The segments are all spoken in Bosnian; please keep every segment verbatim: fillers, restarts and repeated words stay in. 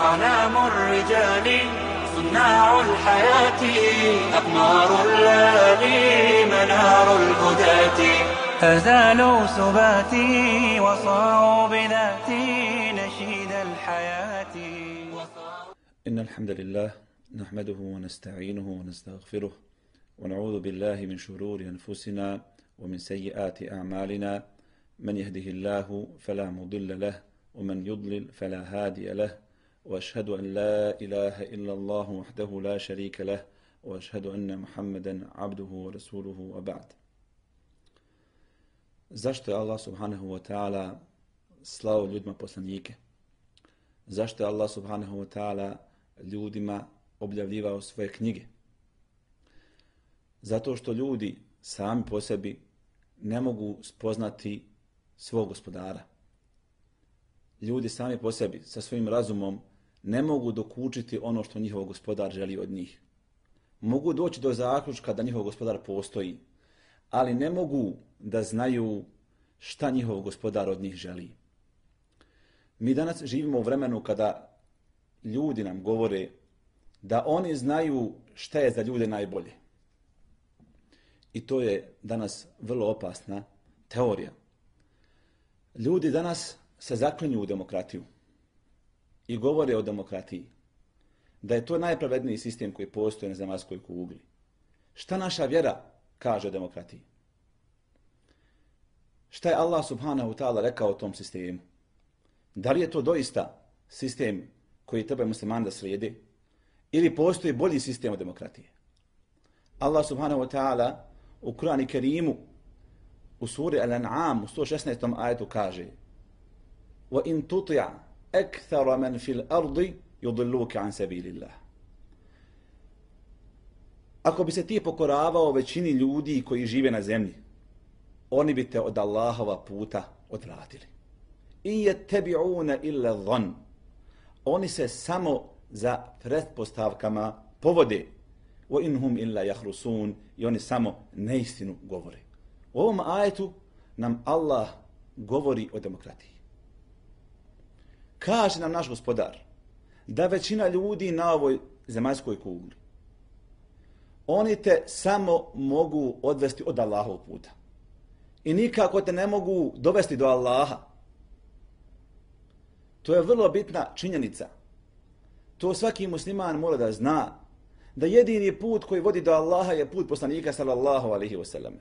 أعلام الرجال صناع الحياة أقمار الليالي منار الهداة أزالوا سباتي وصاروا بذاتي نشيد الحياة. إن الحمد لله نحمده ونستعينه ونستغفره ونعوذ بالله من شرور أنفسنا ومن سيئات أعمالنا من يهده الله فلا مضل له ومن يضلل فلا هادي له وأشهد أن لا إله إلا الله وحده لا شريك له وأشهد أن محمدا عبده ورسوله وبعد. Zašto je Allah subhanahu wa ta'ala slao ljudima poslanike? Zašto je Allah subhanahu wa ta'ala ljudima objavljivao svoje knjige? Zato što ljudi sami po sebi ne mogu spoznati svog gospodara. Ljudi sami po sebi sa svojim razumom ne mogu dokučiti ono što njihov gospodar želi od njih. Mogu doći do zaključka da njihov gospodar postoji, ali ne mogu da znaju šta njihov gospodar od njih želi. Mi danas živimo u vremenu kada ljudi nam govore da oni znaju šta je za ljude najbolje. I to je danas vrlo opasna teorija. Ljudi danas se zaklinju u demokratiju i govore o demokratiji, da je to najpravedniji sistem koji postoji na zemaljskoj kugli. Šta naša vjera kaže o demokratiji? Šta je Allah subhanahu ta'ala rekao o tom sistemu? Da li je to doista sistem koji treba muslimani da slijede? Ili postoji bolji sistem od demokratije? Allah subhanahu ta'ala u Kur'anu Kerimu u suri Al-An'am u sto šesnaestom ajetu kaže: وَإِن تُطِعْ أَكْثَرَ مَنْ فِي الْأَرْضِ يُضِلُّوكَ عَنْ سَبِيلِ اللَّهِ. Ako bi se ti pokoravao većini ljudi koji žive na zemlji, oni bi te od Allahova puta odvratili. I يَتَّبِعُونَ إِلَّا الظَّنَّ. Oni se samo za pretpostavkama povode. وَإِنْهُمْ إِلَّا يَخْرُسُونَ. I oni samo neistinu govore. U ovom ajetu nam Allah govori o demokratiji. Kaže nam naš gospodar da većina ljudi na ovoj zemaljskoj kugli, oni te samo mogu odvesti od Allahovog puta. I nikako te ne mogu dovesti do Allaha. To je vrlo bitna činjenica. To svaki musliman mora da zna, da jedini put koji vodi do Allaha je put poslanika sallallahu alaihi wasallam.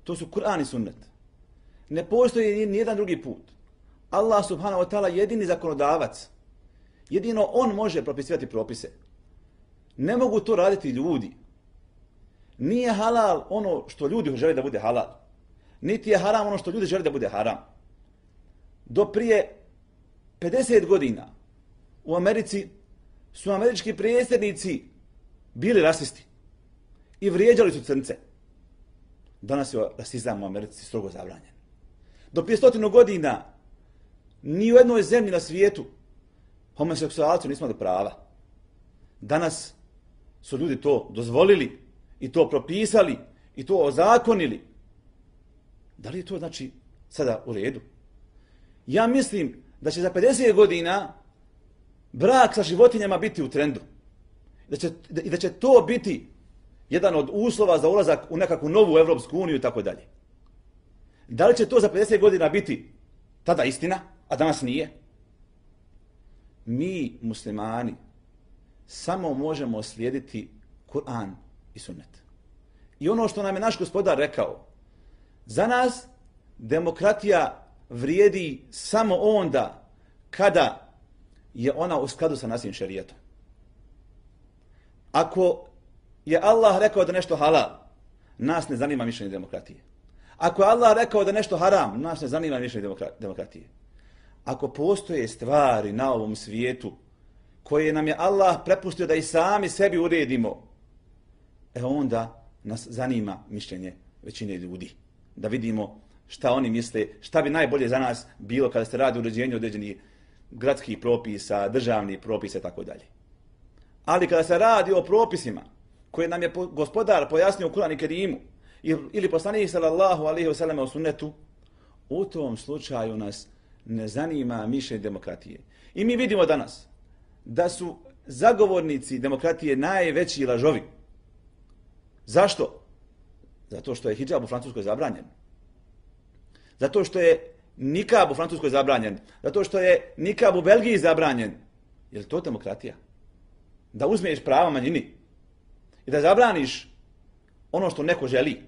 To su Kur'an i sunnet. Ne postoji ni jedan drugi put. Allah subhanahu wa ta'ala jedini zakonodavac. Jedino on može propisivati propise. Ne mogu to raditi ljudi. Nije halal ono što ljudi žele da bude halal. Niti je haram ono što ljudi žele da bude haram. Do prije pedeset godina u Americi su američki predsjednici bili rasisti i vrijeđali su crnce. Danas je rasizam u Americi strogo zabranjen. Do prije stotinu godina ni u jednoj zemlji na svijetu homoseksualci nismo imali prava. Danas su ljudi to dozvolili i to propisali i to ozakonili. Da li je to znači sada u redu? Ja mislim da će za pedeset godina brak sa životinjama biti u trendu. Da će, I da će to biti jedan od uslova za ulazak u nekakvu novu Evropsku uniju i tako dalje. Da li će to za pedeset godina biti tada istina, a danas nije? Mi, muslimani, samo možemo slijediti Kur'an i sunnet. I ono što nam je naš gospodar rekao, za nas demokratija vrijedi samo onda kada je ona u skladu sa našim šerijetom. Ako je Allah rekao da nešto halal, nas ne zanima mišljenje demokratije. Ako je Allah rekao da nešto haram, nas ne zanima mišljenje demokratije. Ako postoje stvari na ovom svijetu koje nam je Allah prepustio da i sami sebi uredimo, e onda nas zanima mišljenje većine ljudi. Da vidimo šta oni misle, šta bi najbolje za nas bilo kada se radi o uređenju određenih gradskih propisa, državnih propisa i tako dalje. Ali kada se radi o propisima koje nam je gospodar pojasnio u Kur'anu i Kerimu ili poslanik sallallahu alejhi ve sellem u sunnetu, u tom slučaju nas ne zanima mišljenje demokratije. I mi vidimo danas da su zagovornici demokratije najveći lažovi. Zašto? Zato što je hidžab u Francuskoj zabranjen. Zato što je nikab u Francuskoj zabranjen. Zato što je nikab u Belgiji zabranjen. Je li to demokratija? Da uzmeš prava manjini i da zabraniš ono što neko želi.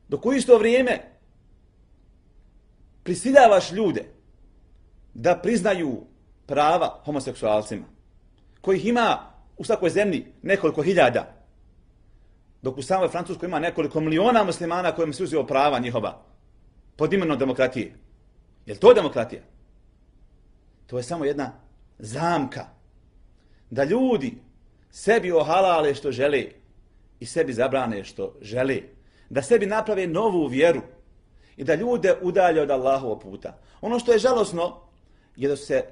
Dok u isto vrijeme prisiljavaš ljude da priznaju prava homoseksualcima, kojih ima u svakoj zemlji nekoliko hiljada, dok u samoj Francuskoj ima nekoliko miliona muslimana kojima se uzeo prava njihova pod imenom demokratije. Je li to demokratija? To je samo jedna zamka da ljudi sebi ohalale što žele i sebi zabrane što žele, da sebi naprave novu vjeru i da ljude udalje od Allahovog puta. Ono što je žalosno je da se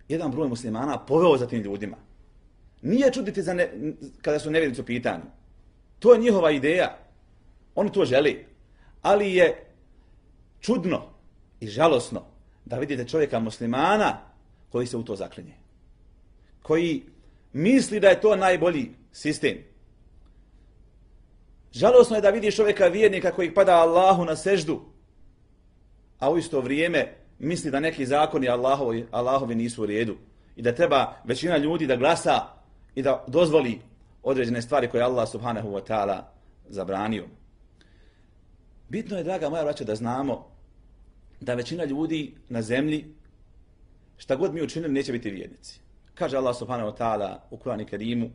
jedan broj muslimana poveo za tim ljudima. Nije čuditi za ne, kada su nevjernici u pitanju. To je njihova ideja. Oni to žele. Ali je čudno i žalosno da vidite čovjeka muslimana koji se u to zaklinje. Koji misli da je to najbolji sistem. Žalosno je da vidiš čovjeka vjernika koji pada Allahu na seždu, a u isto vrijeme misli da neki zakoni Allahovi, Allahovi nisu u redu i da treba većina ljudi da glasa i da dozvoli određene stvari koje Allah subhanahu wa ta'ala zabranio. Bitno je, draga moja braća, da znamo da većina ljudi na zemlji, šta god mi učinili, neće biti vjernici. Kaže Allah subhanahu wa ta'ala u Kur'anu Kerimu: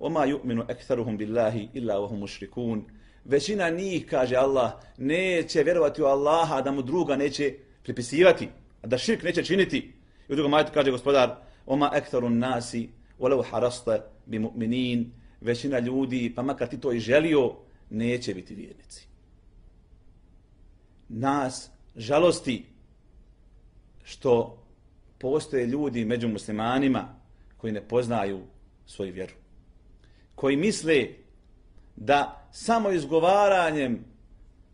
وَمَا يُؤْمِنُ أَكْثَرُهُمْ بِاللَّهِ إِلَّا وَهُمْ مُشْرِكُونَ. Većina njih, kaže Allah, neće vjerovati u Allaha, da mu druga neće pripisivati, da širk neće činiti. I u drugom ajetu kaže gospodar: وَمَا أَكْثَرُ النَّاسِ وَلَوْ حَرَصْتَ بِمُؤْمِنِينَ. Većina ljudi, pa makar ti to i želio, neće biti vjernici. Nas žalosti što postoje ljudi među muslimanima koji ne poznaju svoju vjeru, koji misle da samo izgovaranjem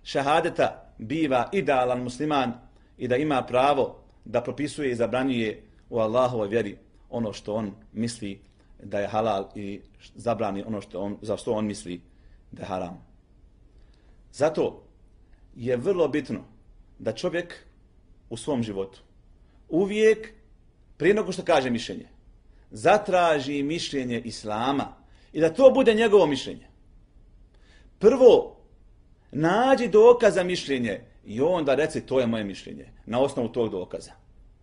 šahadeta biva idealan musliman i da ima pravo da propisuje i zabranjuje u Allahovoj vjeri ono što on misli da je halal i zabrani ono što on, za što on misli da je haram. Zato je vrlo bitno da čovjek u svom životu uvijek, prije nego što kaže mišljenje, zatraži mišljenje Islama i da to bude njegovo mišljenje. Prvo, nađi dokaz za mišljenje i onda reci to je moje mišljenje. Na osnovu tog dokaza.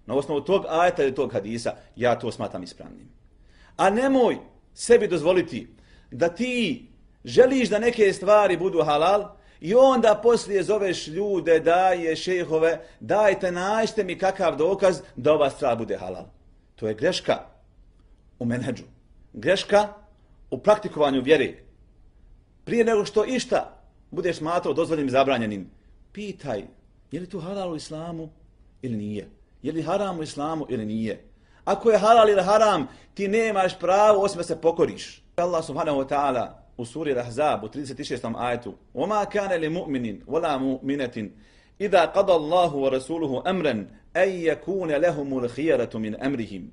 Na osnovu tog ajeta ili tog hadisa ja to smatram ispravnim. A nemoj sebi dozvoliti da ti želiš da neke stvari budu halal i onda poslije zoveš ljude, daje šejhove, dajte, nađite mi kakav dokaz da ova stvar bude halal. To je greška u menedžu. Greška u praktikovanju vjere. Prije nego što išta budeš smatrao dozvoljenim, zabranjenim, pitaj, je li to halal u islamu ili nije? Je li haram u islamu ili nije? Ako je halal ili haram, ti nemaš pravo osim da se pokoriš. Allah subhanahu wa ta'ala u suri Al-Ahzab u trideset šestom ajetu: وَمَا كَانَ لِمُؤْمِنٍ وَلَا مُؤْمِنَةٍ إِذَا قَضَى اللَّهُ وَرَسُولُهُ أَمْرًا أَنْ يَكُونَ لَهُمُ الْخِيَرَةُ مِنْ أَمْرِهِمْ.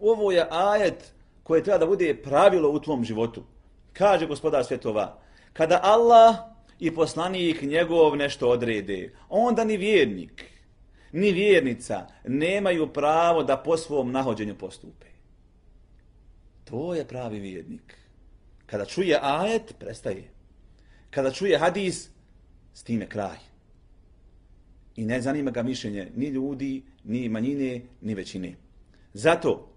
Ovo je ajet koje treba da bude pravilo u tvom životu. Kaže gospodar svjetova: kada Allah i poslanik njegov nešto odrede, onda ni vjernik, ni vjernica nemaju pravo da po svom nahođenju postupe. To je pravi vjernik. Kada čuje ajet, prestaje. Kada čuje hadis, s time kraj. I ne zanima ga mišljenje ni ljudi, ni manjine, ni većine. Zato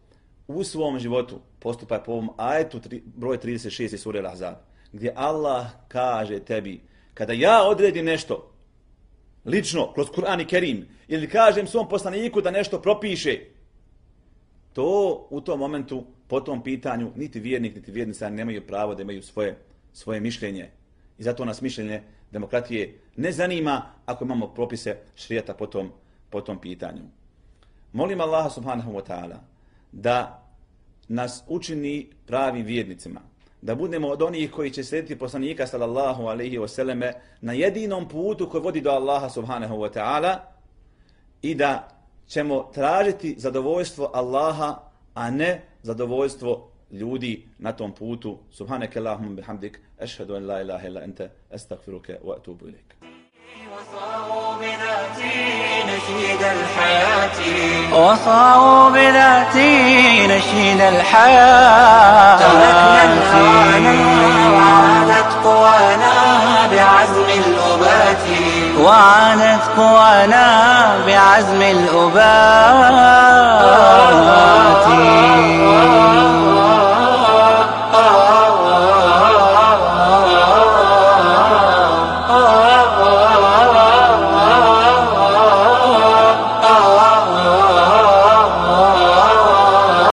u svom životu postupaj po ovom ajetu broj trideset šest sure Al-Ahzab, gdje Allah kaže tebi: kada ja odredim nešto lično kroz Kur'an i Kerim ili kažem svom poslaniku da nešto propiše, to u tom momentu, po tom pitanju, niti vjernik, niti vjernica nemaju pravo da imaju svoje, svoje mišljenje. I zato nas mišljenje demokratije ne zanima ako imamo propise šerijata po tom, po tom pitanju. Molim Allaha subhanahu wa ta'ala da nas učini pravim vjernicima, da budemo od onih koji će slijediti poslanika sallallahu alejhi ve selleme na jedinom putu koji vodi do Allaha subhanahu wa ta'ala i da ćemo tražiti zadovoljstvo Allaha, a ne zadovoljstvo ljudi na tom putu. Subhaneke Allahumma bihamdik, ashhadu an la ilaha illa anta, astaghfiruka wa atubu ilaik. وصاروا بذاتي نشيد الحياة وصاروا بذاتي نشيد الحياة تركنا الهوانا وعادت قوانا بعزم الأبات وعانت قوانا بعزم الأبات